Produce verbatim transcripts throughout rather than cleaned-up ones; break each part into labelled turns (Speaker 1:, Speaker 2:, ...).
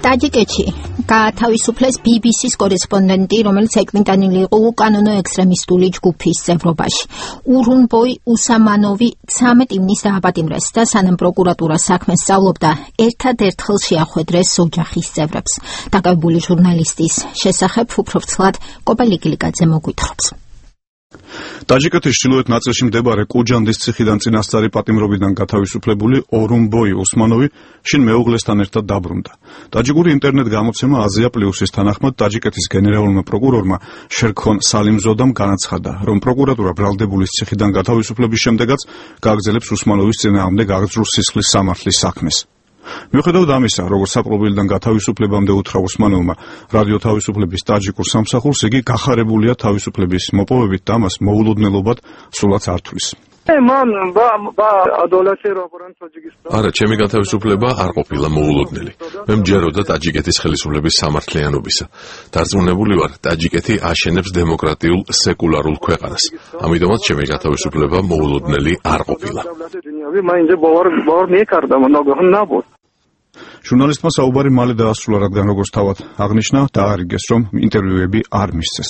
Speaker 1: ტაჯიკეთში გაათავისუფლეს ბი ბი სის კორესპონდენტი, რომელიც ეკმიტანილი იყო უკანონო ექსტრემისტული ჯგუფის წევრობაში. ურუნბოი უსამანოვი ცამეტ ივნის დააპატიმრეს და სანამ პროკურატურა საქმეს სწავლობდა, ერთადერთხელ შეახვედრეს ოჯახის წევრებს. დაკავებული ჟურნალისტის შესახებ უფრო ვრცლად კობალიკილიკაძე მოგვითხრობს.
Speaker 2: ტაჯიკეთის ჩრდილოეთ ნაწილში მდებარე კუჯანდის ციხიდან წინასწარი პატიმრობიდან გათავისუფლებული ორუნბოი უსმანოვი შინ მეუღლესთან ერთად დაბრუნდა. ტაჯიკური ინტერნეტ გამოცემა აზია პლუსის თანახმად ტაჯიკეთის გენერალურმა პროკურორმა შერქონ სალიმზოდამ განაცხადა, რომ პროკურატურა ბრალდებულის ციხიდან გათავისუფლების შემდეგაც გააგრძელებს უსმანოვის წინააღმდეგ აღძრულ სისხლის სამართლის საქმეს. მიუხედავად ამისა, როგორც საპყრობილიდან გათავისუფლებამდე უთხრა უსმანოვმა რადიო თავისუფლების ტაჯიკურ სამსახურს, იგი გახარებულია თავისუფლების მოპოვებით და მას მოულოდნელობად სულაც არ თვლის.
Speaker 3: არა, ჩემი გათავისუფლება არ ყოფილა მოულოდნელი. მე მჯეროდა ტაჯიკეთის ხელისუფლების სამართლიანობისა. დარწმუნებული ვარ, ტაჯიკეთი აშენებს დემოკრატიულ სეკულარულ ქვეყანას. ამიტომაც ჩემი გათავისუფლება მოულოდნელი არ ყოფილა.
Speaker 2: ჟურნალისტმა საუბარი მალე დაასრულა, რადგან როგორც თავად აღნიშნა, დაარიგეს, რომ ინტერვიუები არ მისცეს.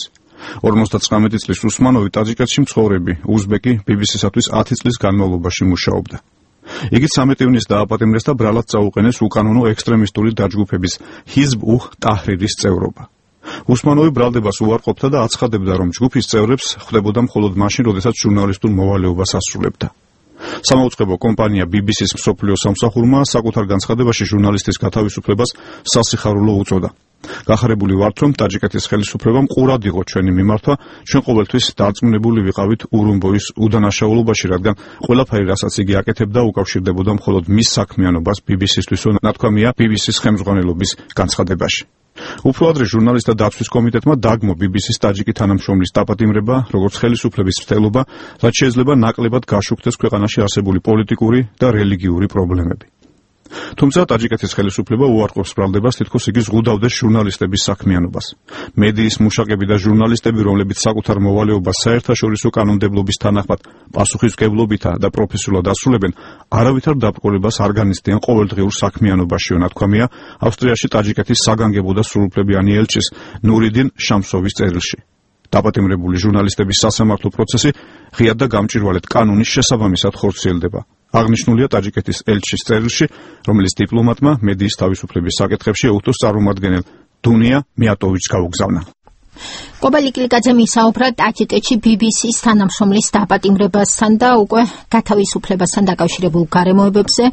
Speaker 2: ორმოცდათვრამეტი წლის უსმანოვი ტაჯიკეთში მცხოვრები უზბეკი ბი ბი სისათვის ათი წლის განმავლობაში მუშაობდა. იგი ცამეტ ივნის დააპატიმრეს და ბრალად წაუყენეს უკანონო ექსტრემისტული დაჯგუფების ჰიზბ უჰ ტაჰრირის წევრობა. უსმანოვი ბრალდებას უარყოფდა და აცხადებდა, რომ ჯგუფის წევრებს ხვდებოდა მხოლოდ მაშინ, როდესაც ჟურნალისტურ მოვალეობას ასრულებდა. სამაუწყებლო კომპანია ბი ბი სის მსოფლიო სამსახურმა საკუთარ განცხადებაში ჟურნალისტის გათავისუფლებას სასიხარულო უწოდა. გახარებული ვართ, რომ ტაჯიკეთის ხელისუფლებამ ყურად იყო ჩვენი მიმართვა, ჩვენ ყოველთვის დარწმუნებული ვიყავით ურუნბოის უდანაშაულობაში, რადგან ყველაფერი, რასაც იგი აკეთებდა, უკავშირდებოდა მხოლოდ მის საქმიანობას ბი ბი სისთვის, ნათქვამია ბი ბი სის ხელმძღვანელობის განცხადებაში. უფრო ადრე ჟურნალისტთა დაცვის კომიტეტმა დაგმო ბი ბი სის ტაჯიკი თანამშრომლის დაპატიმრება, როგორც ხელისუფლების მცდელობა, რაც შეიძლება ნაკლებად გაშუქდეს ქვეყანაში არსებული პოლიტიკური და რელიგიური პრობლემები. თუმცა ტაჯიკეთის ხელისუფლება უარყოფს ბრალდებას, თითქოს იგი ზღუდავდეს ჟურნალისტების საქმიანობას. მედიის მუშაკები და ჟურნალისტები, რომლებიც საკუთარ მოვალეობას საერთაშორისო კანონმდებლობის თანახმად პასუხისმგებლობითა და პროფესიულად ასრულებენ, არავითარ დაბრკოლებას არ განიცდიან ყოველდღიურ საქმიანობაში, ნათქვამია ავსტრიაში ტაჯიკეთის საგანგებო და სრულუფლებიანი ელჩის ნურიდინ შამსოვის წერილში. დაპატიმრებული ჟურნალისტების სასამართლო პროცესი ღიად და გამჭვირვალედ კანონის შესაბამისად ხორციელდება. აღნიშნულია ტაჯიკეთის ელჩის წერილში, რომელიც დიპლომატმა მედიის თავისუფლების საკითხებში ეუთოს წარმომადგენელ დუნია მიატოვიჩს გაუგზავნა.
Speaker 1: კობალიკილიკაძე მისაუბრა ტაჯიკეთში ბი ბი სის თანამშრომლის დაპატიმრებასთან და უკვე გათავისუფლებასთან დაკავშირებულ გარემოებებზე.